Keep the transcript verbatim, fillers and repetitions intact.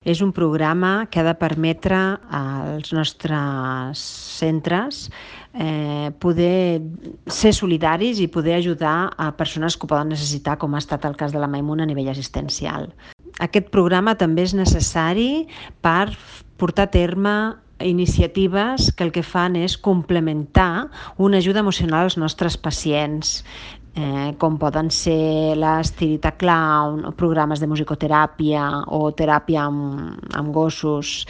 És un programa que ha de permetre als nostres centres eh, poder ser solidaris i poder ajudar a persones que ho poden necessitar, com ha estat el cas de la Maimuna a nivell assistencial. Aquest programa també és necessari per portar a terme iniciatives que el que fan és complementar una ajuda emocional als nostres pacients, eh, com poden ser l'estirita clown, o programes de musicoteràpia o teràpia amb, amb gossos.